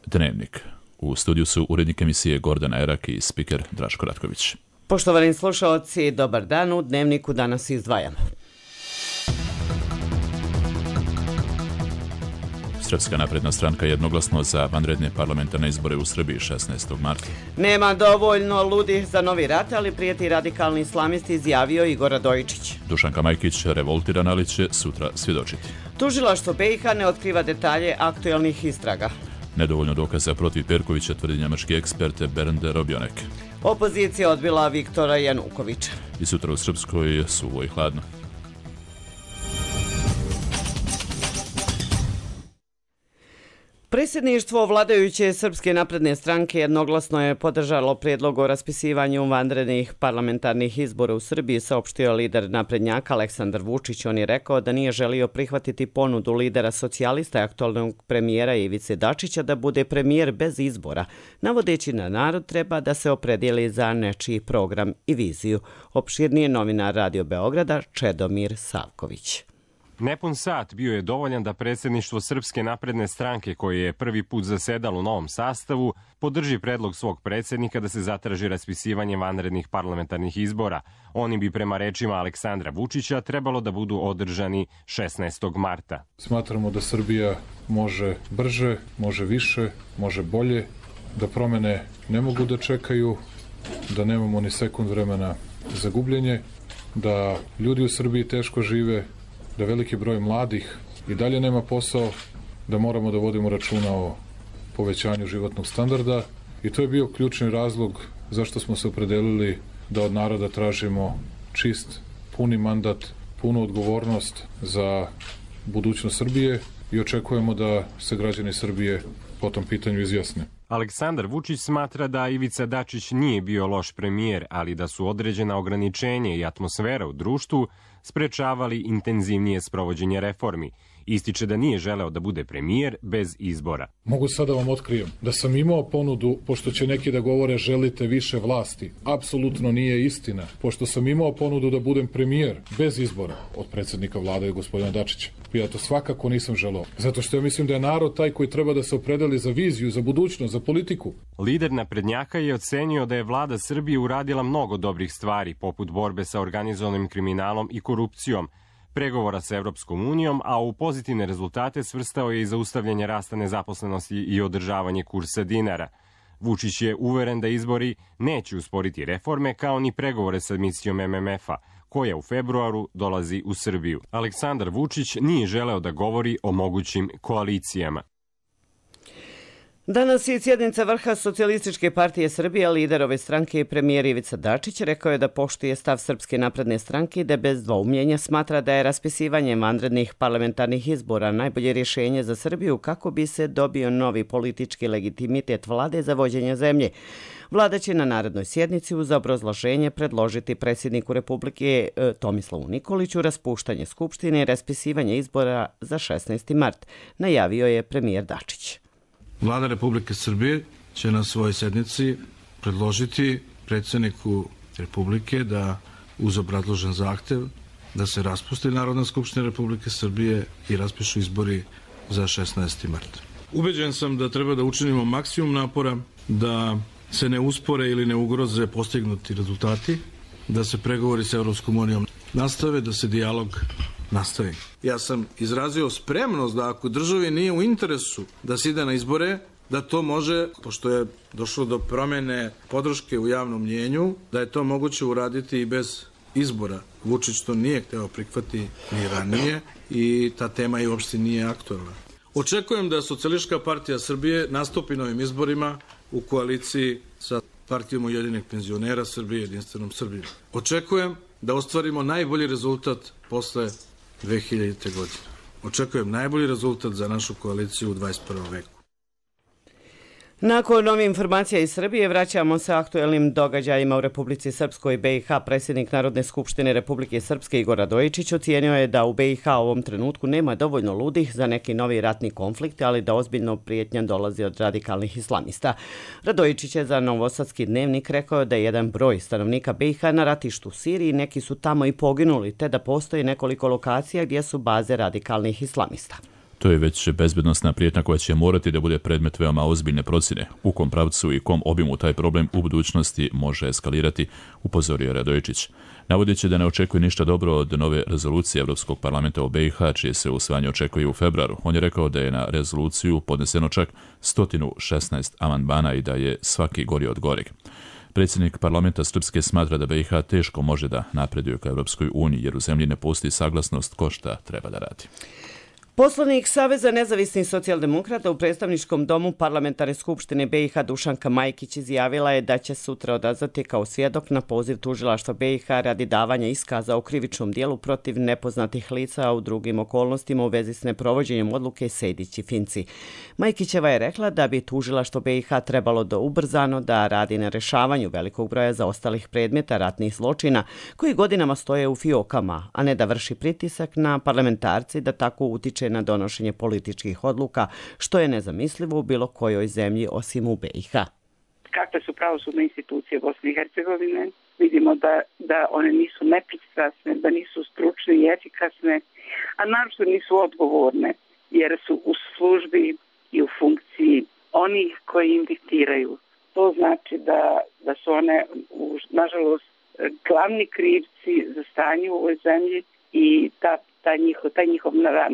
Dnevnik. U studiju su urednik emisije Gordana Erak i spiker Draško Ratković. Poštovani slušalci, dobar dan. U Dnevniku danas izdvajamo. Srpska napredna stranka jednoglasno za vanredne parlamentarne izbore u Srbiji 16. marta. Nema dovoljno ludih za novi rat, ali prijeti radikalni islamisti, izjavio Igor Radojičić. Dušanka Majkić revoltirana, ali će sutra svjedočiti. Tužilaštvo BiH ne otkriva detalje aktuelnih istraga. Nedovoljno dokaza protiv Perkovića, tvrdi njemački ekspert Bernd Robionek. Opozicija odbila Viktora Janukovića. I sutra u Srpskoj suvo i hladno. Predsjedništvo vladajuće Srpske napredne stranke jednoglasno je podržalo prijedlog o raspisivanju vanrednih parlamentarnih izbora u Srbiji, saopštio lider naprednjaka Aleksandar Vučić. On je rekao da nije želio prihvatiti ponudu lidera socijalista i aktualnog premijera Ivice Dačića da bude premijer bez izbora, navodeći da narod treba da se opredijeli za nečiji program i viziju. Opširnije novinar Radio Beograda Čedomir Savković. Nepun sat bio je dovoljan da predsjedništvo Srpske napredne stranke, koje je prvi put zasedalo u novom sastavu, podrži predlog svog predsjednika da se zatraži raspisivanje vanrednih parlamentarnih izbora. Oni bi prema rečima Aleksandra Vučića trebalo da budu održani 16. marta. Smatramo da Srbija može brže, može više, može bolje, da promene ne mogu da čekaju, da nemamo ni sekund vremena za gubljenje, da ljudi u Srbiji teško žive, da veliki broj mladih i dalje nema posao, da moramo da vodimo računa o povećanju životnog standarda i to je bio ključni razlog zašto smo se opredelili da od naroda tražimo čist, puni mandat, punu odgovornost za budućnost Srbije i očekujemo da se građani Srbije po tom pitanju izjasne. Aleksandar Vučić smatra da Ivica Dačić nije bio loš premijer, ali da su određena ograničenja i atmosfera u društvu sprečavali intenzivnije sprovođenje reformi. Ističe da nije želeo da bude premijer bez izbora. Mogu sada vam otkrijem da sam imao ponudu, pošto će neki da govore želite više vlasti. Apsolutno nije istina, pošto sam imao ponudu da budem premijer bez izbora od predsjednika vlade gospodina Dačića. Ja to svakako nisam želeo, zato što ja mislim da je narod taj koji treba da se opredeli za viziju, za budućnost, za politiku. Lider naprednjaka je ocenio da je vlada Srbije uradila mnogo dobrih stvari, poput borbe sa organizovanim kriminalom i korupcijom, pregovora sa Evropskom unijom, a u pozitivne rezultate svrstao je i zaustavljanje rasta nezaposlenosti i održavanje kursa dinara. Vučić je uveren da izbori neće usporiti reforme, kao ni pregovore sa misijom MMF-a, koja u februaru dolazi u Srbiju. Aleksandar Vučić nije želeo da govori o mogućim koalicijama. Danas je sjednica vrha Socijalističke partije Srbije, lider ove stranke i premijer Ivica Dačić rekao je da poštuje stav Srpske napredne stranke i da bez dvoumljenja smatra da je raspisivanje vanrednih parlamentarnih izbora najbolje rješenje za Srbiju kako bi se dobio novi politički legitimitet vlade za vođenje zemlje. Vlada će na narednoj sjednici uz obrazloženje predložiti predsjedniku Republike Tomislavu Nikoliću raspuštanje Skupštine i raspisivanje izbora za 16. mart, najavio je premijer Dačić. Vlada Republike Srbije će na svojoj sednici predložiti predsjedniku Republike da uz obrazložen zahtev da se raspusti Narodna skupština Republike Srbije i raspišu izbori za 16. mart. Ubeđen sam da treba da učinimo maksimum napora da se ne uspore ili ne ugroze postignuti rezultati, da se pregovori sa Evropskom unijom nastave, da se dijalog nastavi. Ja sam izrazio spremnost da ako državi nije u interesu da se ide na izbore, da to može, pošto je došlo do promjene podrške u javnom mnjenju, da je to moguće uraditi i bez izbora. Vučić to nije hteo prihvati ni ranije i ta tema i uopšte nije aktualna. Očekujem da Socijalistička partija Srbije nastupi na ovim izborima u koaliciji sa Partijom Ujedinjenih penzionera Srbije i Jedinstvenom Srbijom. Očekujem da ostvarimo najbolji rezultat posle 2000. godine. Očekujem najbolji rezultat za našu koaliciju u 21. veku. Nakon novih informacija iz Srbije vraćamo se aktuelnim događajima u Republici Srpskoj i BiH. Predsjednik Narodne skupštine Republike Srpske Igor Radojičić ocijenio je da u BiH u ovom trenutku nema dovoljno ludih za neki novi ratni konflikt, ali da ozbiljno prijetnja dolazi od radikalnih islamista. Radojičić je za Novosadski dnevnik rekao da je jedan broj stanovnika BiH na ratištu u Siriji, neki su tamo i poginuli, te da postoji nekoliko lokacija gdje su baze radikalnih islamista. To je već bezbednosna prijetnja koja će morati da bude predmet veoma ozbiljne procjene. U kom pravcu i kom obimu taj problem u budućnosti može eskalirati, upozorio Radojičić. Navodeći da ne očekuje ništa dobro od nove rezolucije Evropskog parlamenta o BiH, čije se usvajanje očekuje u februaru. On je rekao da je na rezoluciju podneseno čak 116 amandmana i da je svaki gori od goreg. Predsjednik parlamenta Srpske smatra da BiH teško može da napreduje ka Evropskoj uniji, jer u zemlji ne postoji saglasnost ko šta treba da radi. Poslanik Saveza nezavisnih socijaldemokrata u predstavničkom domu Parlamentarne skupštine BiH Dušanka Majkić izjavila je da će sutra odazvati kao svjedok na poziv tužilaštva BiH radi davanja iskaza o krivičnom dijelu protiv nepoznatih lica, a u drugim okolnostima u vezi s neprovođenjem odluke Sejdić i Finci. Majkićeva je rekla da bi tužilaštvo BiH trebalo da ubrzano da radi na rešavanju velikog broja zaostalih predmeta ratnih zločina koji godinama stoje u fiokama, a ne da vrši pritisak na parlamentarci da tako utiče na donošenje političkih odluka, što je nezamislivo u bilo kojoj zemlji osim u BiH. Kakve su pravosudne institucije Bosne i Hercegovine? Vidimo da one nisu nepristrasne, da nisu stručne i efikasne, a naročito nisu odgovorne, jer su u službi i u funkciji onih koji im diktiraju. To znači da su one, nažalost, glavni krivci za stanje u ovoj zemlji i taj njihov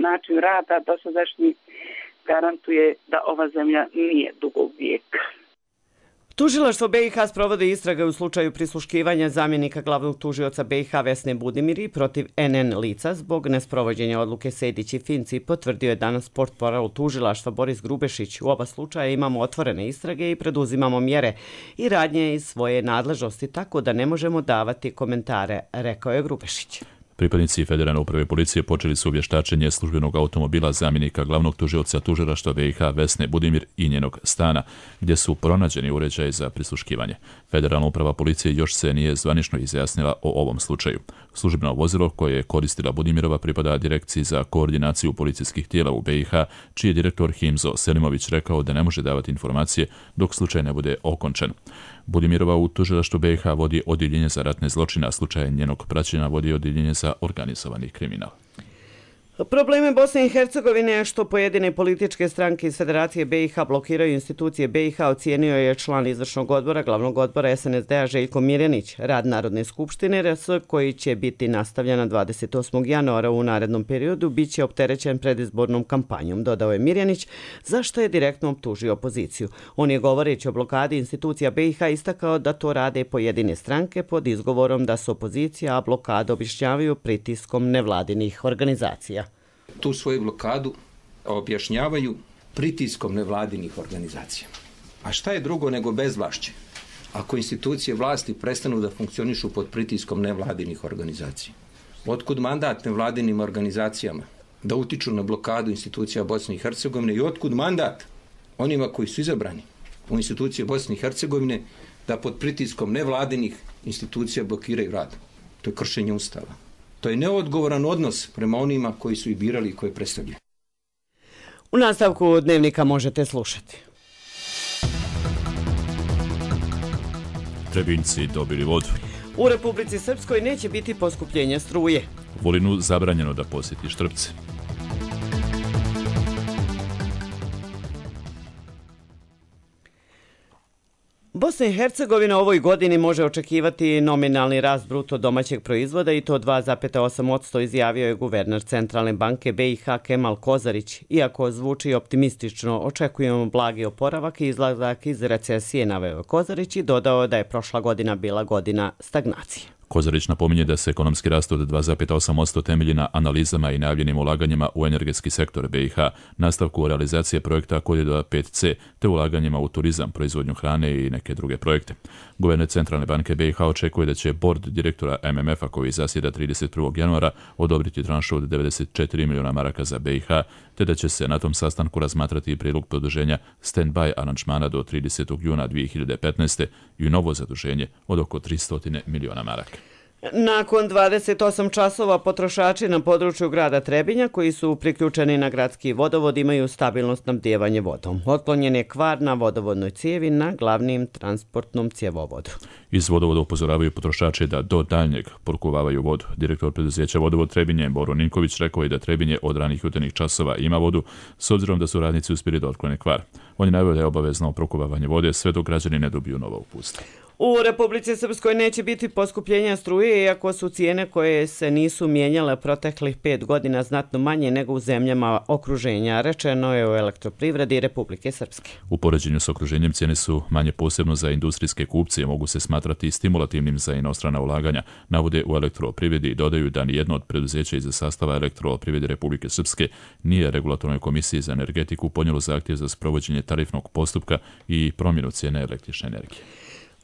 način rada dosadašnji garantuje da ova zemlja nije dugog vijeka. Tužilaštvo BiH sprovodi istrage u slučaju prisluškivanja zamjenika glavnog tužioca BiH Vesne Budimiri protiv NN lica zbog nesprovođenja odluke Sejdić i Finci, potvrdio je danas portparol tužilaštva Boris Grubešić. U oba slučaja imamo otvorene istrage i preduzimamo mjere i radnje iz svoje nadležnosti, tako da ne možemo davati komentare, rekao je Grubešić. Pripadnici Federalne uprave policije počeli su vještačenje službenog automobila zamjenika glavnog tužioca tužilaštva BiH Vesne Budimir i njenog stana, gdje su pronađeni uređaji za prisluškivanje. Federalna uprava policije još se nije zvanično izjasnila o ovom slučaju. Službeno vozilo koje je koristila Budimirova pripada Direkciji za koordinaciju policijskih tijela u BiH, čiji je direktor Himzo Selimović rekao da ne može davati informacije dok slučaj ne bude okončan. Budimirova u tužilaštvu BiH vodi odjeljenje za ratne zločine, a slučaj njenog praćenja vodi odjeljenje za organizovani kriminal. Probleme Bosne i Hercegovine je što pojedine političke stranke iz Federacije BiH blokiraju institucije BiH, ocijenio je član izvršnog odbora glavnog odbora SNSD-a Željko Mirjanić. Rad Narodne skupštine RS, koji će biti nastavljena 28. januara u narednom periodu, bit će opterećen predizbornom kampanjom, dodao je Mirjanić, zašto je direktno optužio opoziciju. On je, govoreći o blokadi institucija BiH, istakao da to rade pojedine stranke pod izgovorom da su opozicija, a blokadu objašnjavaju pritiskom nevladinih organizacija. Tu svoju blokadu objašnjavaju pritiskom nevladinih organizacija. A šta je drugo nego bezvlašće? Ako institucije vlasti prestanu da funkcionišu pod pritiskom nevladinih organizacija. Otkud mandat nevladinim organizacijama da utiču na blokadu institucija Bosne i Hercegovine i otkud mandat onima koji su izabrani u institucije Bosne i Hercegovine da pod pritiskom nevladinih institucija blokiraju rad? To je kršenje Ustava. To je neodgovoran odnos prema onima koji su ih birali i koje predstavljaju. U nastavku Dnevnika možete slušati. Trebinjci dobili vodu. U Republici Srpskoj neće biti poskupljenja struje. Vulinu zabranjeno da posjeti Štrpce. Bosna i Hercegovina ovoj godini može očekivati nominalni rast bruto domaćeg proizvoda i to 2,8%, izjavio je guverner Centralne banke BiH Kemal Kozarić. Iako zvuči optimistično, očekujemo blagi oporavak i izlazak iz recesije, naveo je Kozarić i dodao da je prošla godina bila godina stagnacije. Kozarić napominje da se ekonomski rast od 2,8% temelji na analizama i najavljenim ulaganjima u energetski sektor BiH, nastavku realizacije projekta Koridora 5C, te ulaganjima u turizam, proizvodnju hrane i neke druge projekte. Guverner Centralne banke BiH očekuje da će bord direktora MMF-a, koji zasjeda 31. januara, odobriti tranšu od 94 miliona maraka za BiH, te da će se na tom sastanku razmatrati i prijedlog produženja stand-by aranžmana do 30. juna 2015. i novo zaduženje od oko 300 miliona maraka. Nakon 28 časova potrošači na području grada Trebinja koji su priključeni na gradski vodovod imaju stabilno snabdijevanje vodom. Otklonjen je kvar na vodovodnoj cijevi na glavnim transportnom cjevovodu. Iz vodovoda upozoravaju potrošače da do daljnjeg porukuvavaju vodu. Direktor preduzeća Vodovod Trebinje Boro Ninković rekao je da Trebinje od ranih jutarnjih časova ima vodu s obzirom da su radnici uspjeli da otklone kvar. On je najavio da je obavezno porukuvavanje vode sve dok građani ne dobiju nova uputstva. U Republici Srpskoj neće biti poskupljenja struje, iako su cijene koje se nisu mijenjale proteklih 5 godina znatno manje nego u zemljama okruženja, rečeno je u Elektroprivredi Republike Srpske. U poređenju s okruženjem cijene su manje posebno za industrijske kupce, mogu se smatrati stimulativnim za inostrana ulaganja, navode u Elektroprivredi i dodaju da nijedno od preduzeća iz sastava Elektroprivrede Republike Srpske nije regulatornoj komisiji za energetiku podnijelo zahtjev za sprovođenje tarifnog postupka i promjenu cijene električne energije.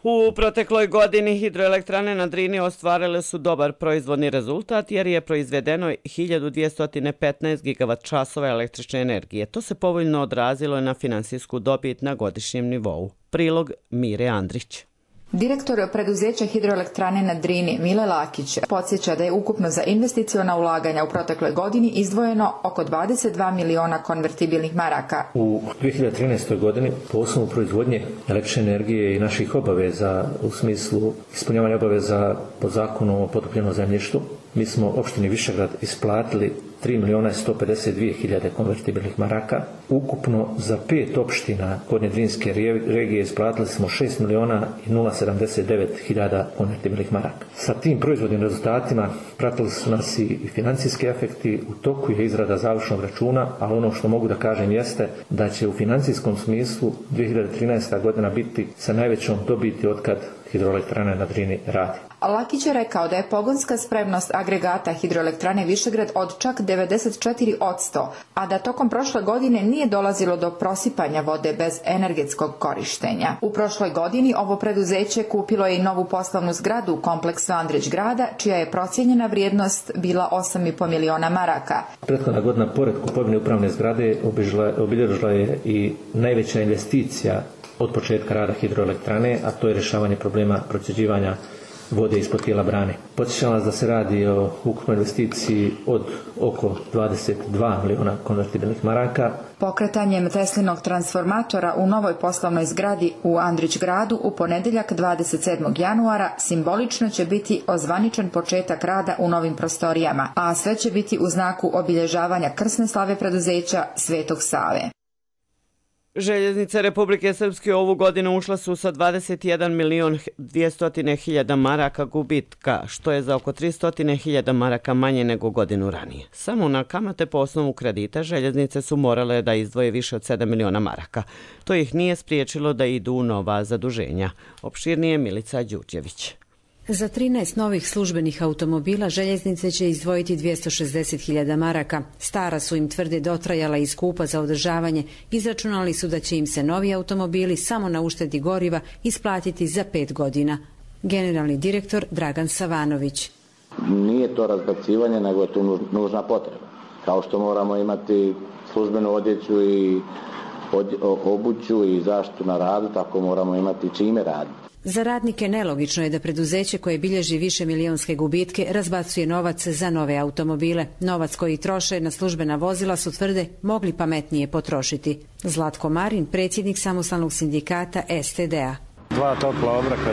U protekloj godini hidroelektrane na Drini ostvarile su dobar proizvodni rezultat jer je proizvedeno 1215 gigavat časova električne energije. To se povoljno odrazilo na finansijsku dobit na godišnjem nivou. Prilog Mire Andrić. Direktor preduzeća hidroelektrane na Drini Mile Lakić podsjeća da je ukupno za investiciona ulaganja u protekloj godini izdvojeno oko 22 miliona konvertibilnih maraka. U 2013. godini po osnovu proizvodnje električne energije i naših obaveza u smislu ispunjavanja obaveza po zakonu o potopljenom zemljištu, mi smo opštini Višegrad isplatili 3.152.000 konvertibilnih maraka. Ukupno za 5 opština Gornje Drinske regije isplatili smo 6.079.000 konvertibilnih maraka. Sa tim proizvodnim rezultatima pratili su nas i financijski efekti. U toku je izrada završnog računa, ali ono što mogu da kažem jeste da će u financijskom smislu 2013. godina biti sa najvećom dobiti otkad hidroelektrane na Drini radi. Lakić je rekao da je pogonska spremnost agregata hidroelektrane Višegrad od čak 94%, a da tokom prošle godine nije dolazilo do prosipanja vode bez energetskog korištenja. U prošloj godini ovo preduzeće kupilo je i novu poslovnu zgradu u kompleksu Andrić grada, čija je procijenjena vrijednost bila 8,5 miliona maraka. Prethodna godina, pored kupovine upravne zgrade, obilježila je i najveća investicija od početka rada hidroelektrane, a to je rješavanje problema procjeđivanja vode ispod tijela brane. Podsjećam vas da se radi o ukupnoj investiciji od oko 22 miliona konvertibilnih maraka. Pokretanjem Teslinog transformatora u novoj poslovnoj zgradi u Andrić gradu u ponedjeljak 27. januara simbolično će biti ozvaničen početak rada u novim prostorijama, a sve će biti u znaku obilježavanja krsne slave preduzeća Svetog Save. Željeznice Republike Srpske ovu godinu ušla su sa 21.200.000 maraka gubitka, što je za oko 300.000 maraka manje nego godinu ranije. Samo na kamate po osnovu kredita željeznice su morale da izdvoje više od 7 miliona maraka. To ih nije spriječilo da idu u nova zaduženja. Opširnije Milica Đurđević. Za 13 novih službenih automobila željeznice će izdvojiti 260.000 maraka. Stara su im tvrde dotrajala i skupa za održavanje. Izračunali su da će im se novi automobili samo na uštedi goriva isplatiti za 5 godina. Generalni direktor Dragan Savanović. Nije to razbacivanje, nego je to nužna potreba. Kao što moramo imati službenu odjeću i obuću i zaštitu na radu, tako moramo imati čime raditi. Za radnike nelogično je da preduzeće koje bilježi više milionske gubitke razbacuje novac za nove automobile. Novac koji troše na službena vozila su tvrde mogli pametnije potrošiti. Zlatko Marin, predsjednik samostalnog sindikata STD-a. 2 topla obroka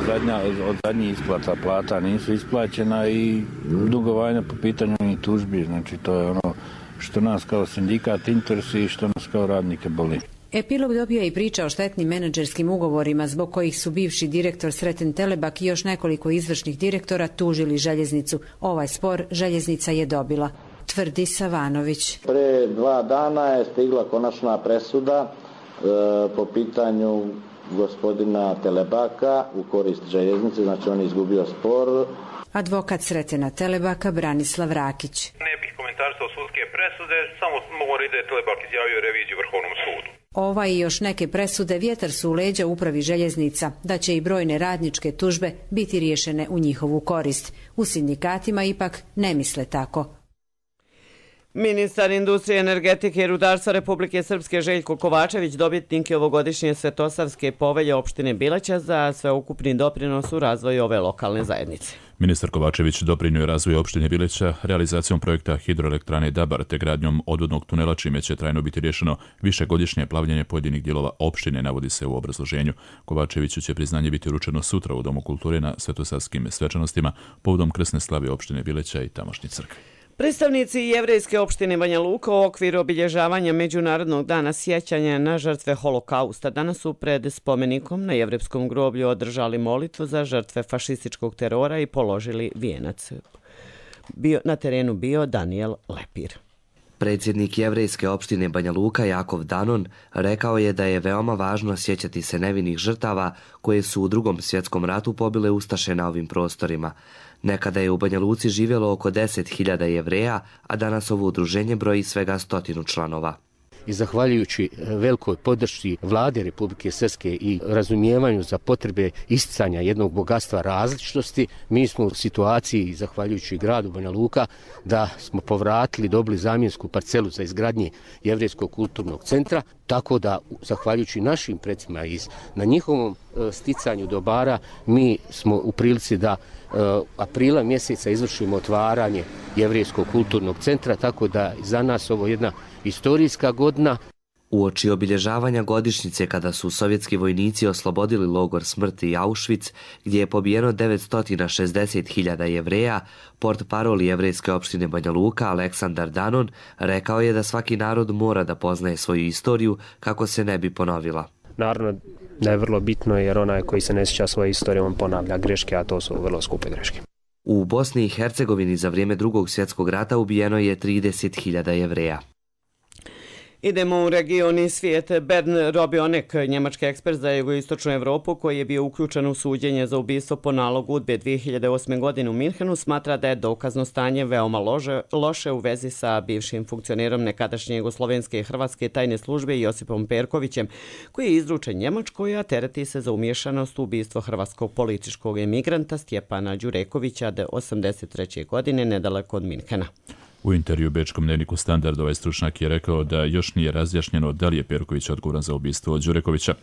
od zadnjih isplata plata nisu isplaćena i dugovanja po pitanju i tužbi. Znači to je ono što nas kao sindikat interesuje i što nas kao radnike boli. Epilog dobio je i priča o štetnim menadžerskim ugovorima zbog kojih su bivši direktor Sreten Telebak i još nekoliko izvršnih direktora tužili željeznicu. Ovaj spor željeznica je dobila, tvrdi Savanović. Pre 2 dana je stigla konačna presuda po pitanju gospodina Telebaka u korist željeznice, znači on je izgubio spor. Advokat Sretena Telebaka Branislav Rakić. Ne bih komentarisao sudske presude, samo mogu reći da je Telebak izjavio reviziju Vrhovnom sudu. Ova i još neke presude vjetar su u leđa upravi željeznica, da će i brojne radničke tužbe biti riješene u njihovu korist. U sindikatima ipak ne misle tako. Ministar industrije, energetike i rudarstva Republike Srpske Željko Kovačević dobitnik je ovogodišnje Svetosavske povelje opštine Bileća za sveukupni doprinos u razvoju ove lokalne zajednice. Ministar Kovačević doprinio je razvoju opštine Bileća realizacijom projekta hidroelektrane Dabar te gradnjom odvodnog tunela, čime će trajno biti rješeno višegodišnje plavljenje pojedinih dijelova opštine, navodi se u obrazloženju. Kovačeviću će priznanje biti uručeno sutra u Domu kulture na svetosarskim svečanostima povodom krsne slave opštine Bileća i tamošnje crkve. Predstavnici jevrejske opštine Banja Luka u okviru obilježavanja Međunarodnog dana sjećanja na žrtve holokausta danas su pred spomenikom na jevrejskom groblju održali molitvu za žrtve fašističkog terora i položili vijenac. Na terenu bio Daniel Lepir. Predsjednik jevrejske opštine Banja Luka Jakov Danon rekao je da je veoma važno sjećati se nevinih žrtava koje su u Drugom svjetskom ratu pobile ustaše na ovim prostorima. Nekada je u Banja Luci živjelo oko 10.000 Jevreja, a danas ovo udruženje broji svega 100 članova. I zahvaljujući velikoj podršci vlade Republike Srpske i razumijevanju za potrebe isticanja jednog bogatstva različitosti, mi smo u situaciji, zahvaljujući gradu Banja Luka, da smo povratili, dobili zamjensku parcelu za izgradnje Jevrejskog kulturnog centra, tako da, zahvaljujući našim predsima na njihovom sticanju dobara, mi smo u prilici da aprila mjeseca izvršimo otvaranje Jevrejskog kulturnog centra, tako da za nas ovo jedna istorijska godina. Uoči obilježavanja godišnjice kada su sovjetski vojnici oslobodili logor smrti Auschwitz, gdje je pobijeno 960.000 Jevreja, portparol jevrejske opštine Banja Luka Aleksandar Danon rekao je da svaki narod mora da poznaje svoju istoriju kako se ne bi ponovila. Naravno da je vrlo bitno jer onaj koji se ne sjeća svoje istorije on ponavlja greške, a to su vrlo skupe greške. U Bosni i Hercegovini za vrijeme Drugog svjetskog rata ubijeno je 30.000 Jevreja. Idemo u region i svijet. Bernd Robionek, njemački ekspert za jugoistočnu Evropu koji je bio uključen u suđenje za ubistvo po nalogu UDBE 2008. godine u Minhenu, smatra da je dokazno stanje veoma loše u vezi sa bivšim funkcionerom nekadašnje jugoslovenske i hrvatske tajne službe Josipom Perkovićem, koji je izručen Njemačkoj, a tereti se za umješanost u ubistvo hrvatskog političkog emigranta Stjepana Đurekovića 1983. godine nedaleko od Minhena. U intervju bečkom dnevniku Standard ovaj stručnjak je rekao da još nije razjašnjeno da li je Perković odgovoran za ubistvo Đurekovića.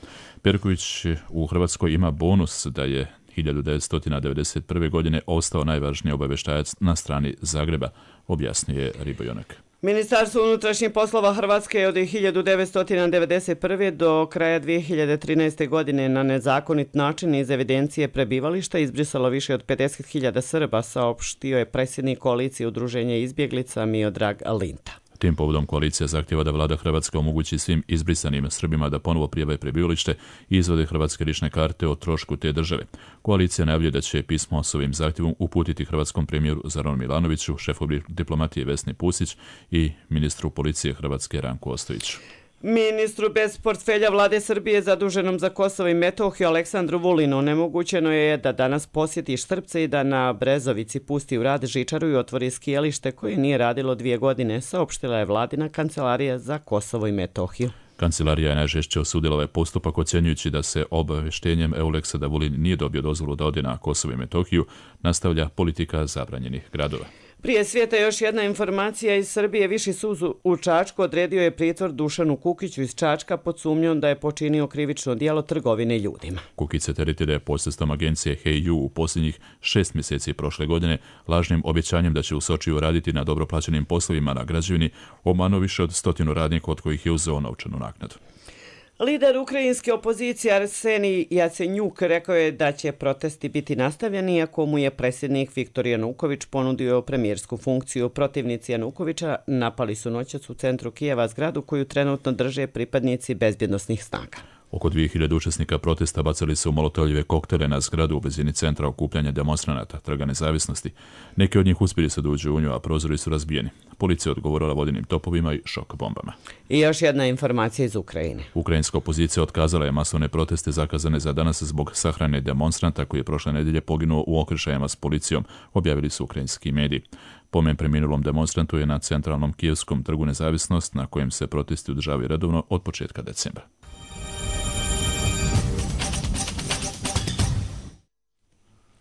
Perković u Hrvatskoj ima bonus da je 1991. godine ostao najvažniji obavještajac na strani Zagreba, objasnio je Ribojonek. Ministarstvo unutrašnjih poslova Hrvatske je od 1991. do kraja 2013. godine na nezakonit način iz evidencije prebivališta izbrisalo više od 50.000 Srba, saopštio je predsjednik koalicije udruženja izbjeglica Miodrag Linta. Tim povodom koalicija zahtjeva da vlada Hrvatska omogući svim izbrisanim Srbima da ponovo prijave prebivalište i izvode hrvatske lične karte o trošku te države. Koalicija najavljuje da će pismo s ovim zahtjevom uputiti hrvatskom premijeru Zoranu Milanoviću, šefu diplomatije Vesni Pusić i ministru policije Hrvatske Ranku Ostojiću. Ministru bez portfelja vlade Srbije zaduženom za Kosovo i Metohiju Aleksandru Vulinu onemogućeno je da danas posjeti Štrpce i da na Brezovici pusti u rad žičaru i otvori skijalište koje nije radilo 2 godine, saopštila je vladina kancelarija za Kosovo i Metohiju. Kancelarija je najžešće osudila ovaj postupak, ocjenjujući da se obavještenjem Euleksa da Vulin nije dobio dozvolu da ode na Kosovo i Metohiju nastavlja politika zabranjenih gradova. Prije svijeta još jedna informacija iz Srbije. Viši sud u Čačku odredio je pritvor Dušanu Kukiću iz Čačka pod sumnjom da je počinio krivično djelo trgovine ljudima. Kukić se tereti da je posredstvom agencije Hey u posljednjih 6 mjeseci prošle godine lažnim obećanjem da će u Sočiju raditi na dobro plaćenim poslovima na građevini obmanuo više od 100 radnika od kojih je uzeo novčanu naknadu. Lider ukrajinske opozicije Arsenij Jacenjuk rekao je da će protesti biti nastavljeni iako mu je predsjednik Viktor Januković ponudio premijersku funkciju. Protivnici Janukovića napali su noćas u centru Kijeva zgradu koju trenutno drže pripadnici bezbjednosnih snaga. Oko 2000 učesnika protesta bacali su molotovljive koktele na zgradu u blizini centra okupljanja demonstranata Trga nezavisnosti. Neki od njih uspjeli se da uđu u nju, a prozori su razbijeni. Policija je odgovorila vodenim topovima i šok bombama. I još jedna informacija iz Ukrajine. Ukrajinska opozicija otkazala je masovne proteste zakazane za danas zbog sahrane demonstranta koji je prošle nedjelje poginuo u okršajima s policijom, objavili su ukrajinski mediji. Pomen preminulom demonstrantu je na centralnom kijevskom Trgu nezavisnost na kojem se protesti održavaju redovno od početka decembra.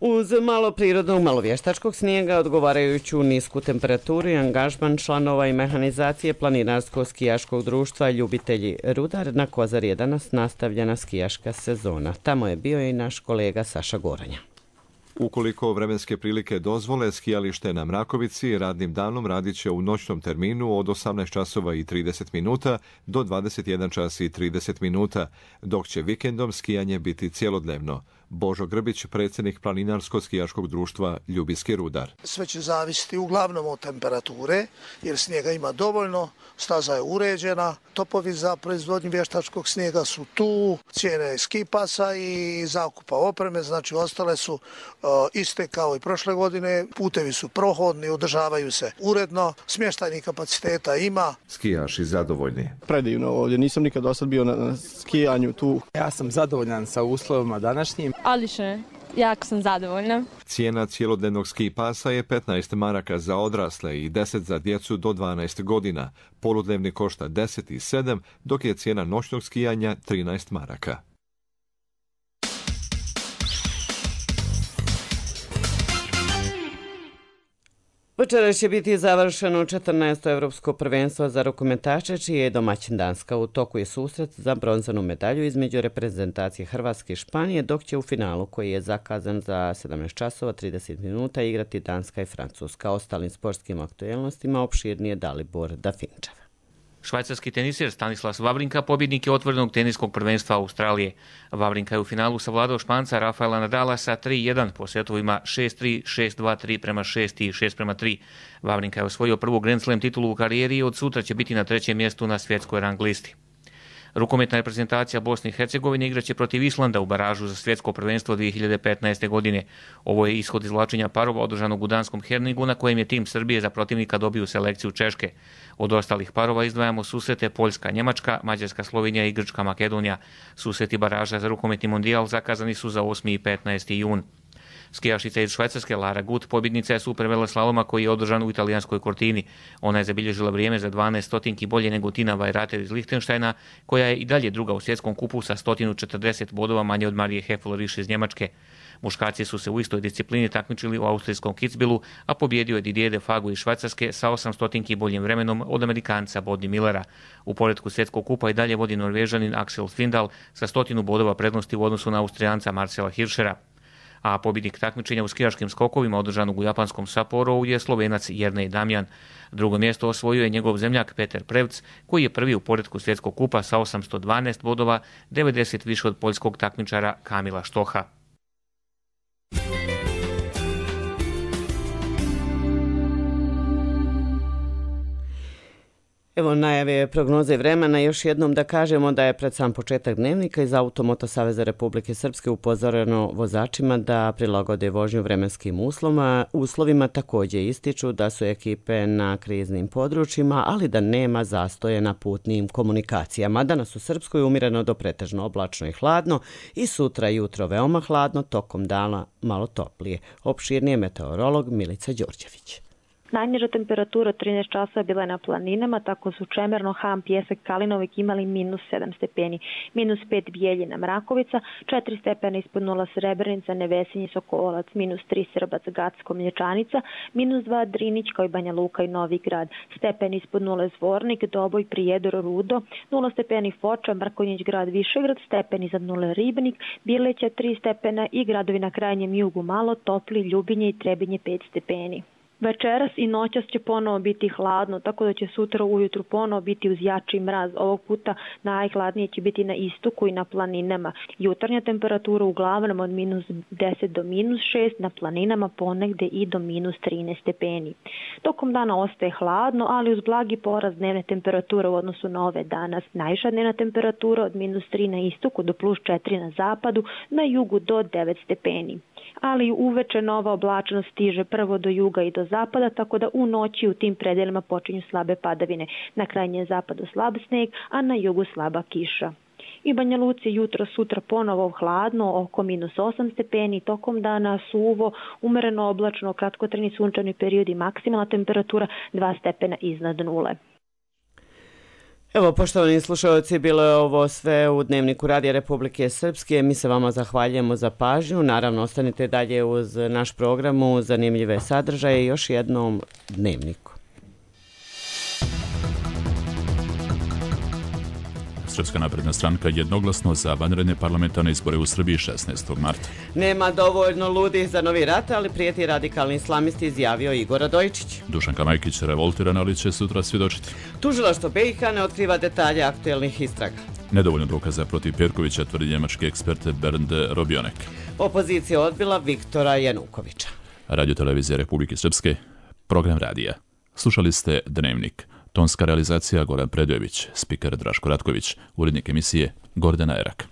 Uz malo prirodnog, malo vještačkog snijega, odgovarajuću nisku temperaturu i angažman članova i mehanizacije planinarsko-skijaškog društva Ljubitelji Rudar na Kozari je danas nastavljena skijaška sezona. Tamo je bio i naš kolega Saša Goranja. Ukoliko vremenske prilike dozvole, skijalište na Mrakovici radnim danom radit će u noćnom terminu od 18 časova i 30 minuta do 21 čas i 30 minuta, dok će vikendom skijanje biti cjelodnevno. Božo Grbić, predsjednik Planinarsko-skijaškog društva Ljubinski Rudar. Sve će zavisiti uglavnom od temperature, jer snijega ima dovoljno, staza je uređena, topovi za proizvodnju vještačkog snijega su tu, cijene ski pasa i zakupa opreme, znači ostale su iste kao i prošle godine, putevi su prohodni, održavaju se uredno, smještajnih kapaciteta ima. Skijaši zadovoljni. Predivno ovdje, nisam nikad dosad bio na skijanju tu. Ja sam zadovoljan sa uslovima današnjim. Odlično, jako sam zadovoljna. Cijena cjelodnevnog ski pasa je 15 maraka za odrasle i 10 za djecu do 12 godina. Poludnevni košta 10 i 7, dok je cijena noćnog skijanja 13 maraka. Večeras će biti završeno 14. evropsko prvenstvo za rukometaše, čiji je domaćin Danska. U toku je susret za bronzanu medalju između reprezentacije Hrvatske i Španije, dok će u finalu, koji je zakazan za 17 časova 30 minuta, igrati Danska i Francuska. Ostalim sportskim aktualnostima opširnije Dalibor Dafinčev. Švajcarski teniser Stanislas Wawrinka pobjednik je otvorenog teniskog prvenstva Australije. Wawrinka je u finalu savladao Španca Rafaela Nadala sa 3-1 po setovima 6-3, 6-2, 3 prema 6 i 6 prema 3. Wawrinka je osvojio prvu Grand Slam titulu u karijeri i od sutra će biti na 3. mjestu na svjetskoj rang listi. Rukometna reprezentacija Bosne i Hercegovine igraće protiv Islanda u baražu za svjetsko prvenstvo 2015. godine. Ovo je ishod izvlačenja parova održanog u danskom Herningu, na kojem je tim Srbije za protivnika dobio selekciju Češke. Od ostalih parova izdvajamo susrete Poljska, Njemačka, Mađarska, Slovenija i Grčka, Makedonija. Susreti baraža za rukometni mondijal zakazani su za 8. i 15. jun. Skijašica iz Švajcarske Lara Gut pobjednica je superveleslaloma koji je održan u italijanskoj Cortini. Ona je zabilježila vrijeme za 12 stotinki bolje nego Tina Weirater iz Lichtensteina, koja je i dalje druga u svjetskom kupu sa 140 bodova manje od Marije Heffler-Risch iz Njemačke. Muškarci su se u istoj disciplini takmičili u austrijskom Kitzbühelu, a pobjedio je Didier Defago iz Švajcarske sa 8 stotinki boljim vremenom od Amerikanca Boddi Millera. U poretku svjetskog kupa i dalje vodi Norvežanin Axel Svindal sa 100 bodova prednosti u odnosu na Austrijanca Marcela Hirschera. A pobjednik takmičenja u skijaškim skokovima održanog u japanskom Sapporovu je Slovenac Jernej Damjan. Drugo mjesto osvojio je njegov zemljak Peter Prevc, koji je prvi u poretku svjetskog kupa sa 812 bodova, 90 više od poljskog takmičara Kamila Štoha. Evo najave prognoze vremena. Još jednom da kažemo da je pred sam početak dnevnika iz Automoto Saveza Republike Srpske upozoreno vozačima da prilagode vožnju vremenskim uslovima. Također ističu da su ekipe na kriznim područjima, ali da nema zastoje na putnim komunikacijama. Danas u Srpskoj umjereno do pretežno oblačno i hladno i sutra jutro veoma hladno, tokom dana malo toplije. Opširnije meteorolog Milica Đorđević. Najniža temperatura 13 časova bila je na planinama, tako su Čemerno, Ham, Pjesak, Kalinovik imali -7 stepeni, -5 Bijeljina, Mrakovica, 4 stepena ispod nula Srebrenica, Nevesinje, Sokolac, -3 Srbac, Gacko, Mlječanica, -2 Drinić kao i Banja Luka i Novi Grad, stepeni ispod nula Zvornik, Doboj, Prijedor, Rudo, 0 stepeni Foča, Mrkonjić Grad, Višegrad, stepeni iznad nule Ribnik, Birleća 3 stepena i gradovi na krajnjem jugu malo topli, Ljubinje i Trebinje 5 stepeni. Večeras i noćas će ponovo biti hladno, tako da će sutra ujutru ponovo biti uz jači mraz. Ovog puta najhladnije će biti na istoku i na planinama. Jutarnja temperatura uglavnom od -10 do -6, na planinama ponegde i do -13 stepeni. Tokom dana ostaje hladno, ali uz blagi porast dnevne temperature u odnosu na ove danas. Najviša dnevna temperatura od -3 na istoku do +4 na zapadu, na jugu do 9 stepeni. Ali uveče nova oblačnost stiže prvo do juga i do zapada, tako da u noći u tim predelima počinju slabe padavine. Na krajnjem zapadu slab sneg, a na jugu slaba kiša. I Banja Luci jutro sutra ponovo hladno, oko -8 stepeni, tokom dana suvo, umereno oblačno, kratkotrajni sunčani period i maksimalna temperatura 2 stepena iznad nule. Evo, poštovani slušalci, bilo je ovo sve u Dnevniku Radija Republike Srpske. Mi se vama zahvaljujemo za pažnju. Naravno, ostanite dalje uz naš program, uz zanimljive sadržaje. Još jednom Dnevniku. Srpska napredna stranka jednoglasno za vanredne parlamentarne izbore u Srbiji 16. marta. Nema dovoljno ludih za novi rat, ali prijeti radikalni islamisti, izjavio Igor Radojičić. Dušanka Majkić revoltirana, ali će sutra svjedočiti. Tužilaštvo BiH ne otkriva detalje aktuelnih istraga. Nedovoljno dokaza protiv Perkovića, tvrdi njemački ekspert Bernd Robionek. Opozicija odbila Viktora Janukovića. Radio televizija Republike Srpske, program radija. Slušali ste Dnevnik. Tonska realizacija Goran Predojević, spiker Draško Ratković, urednik emisije Gordana Erak.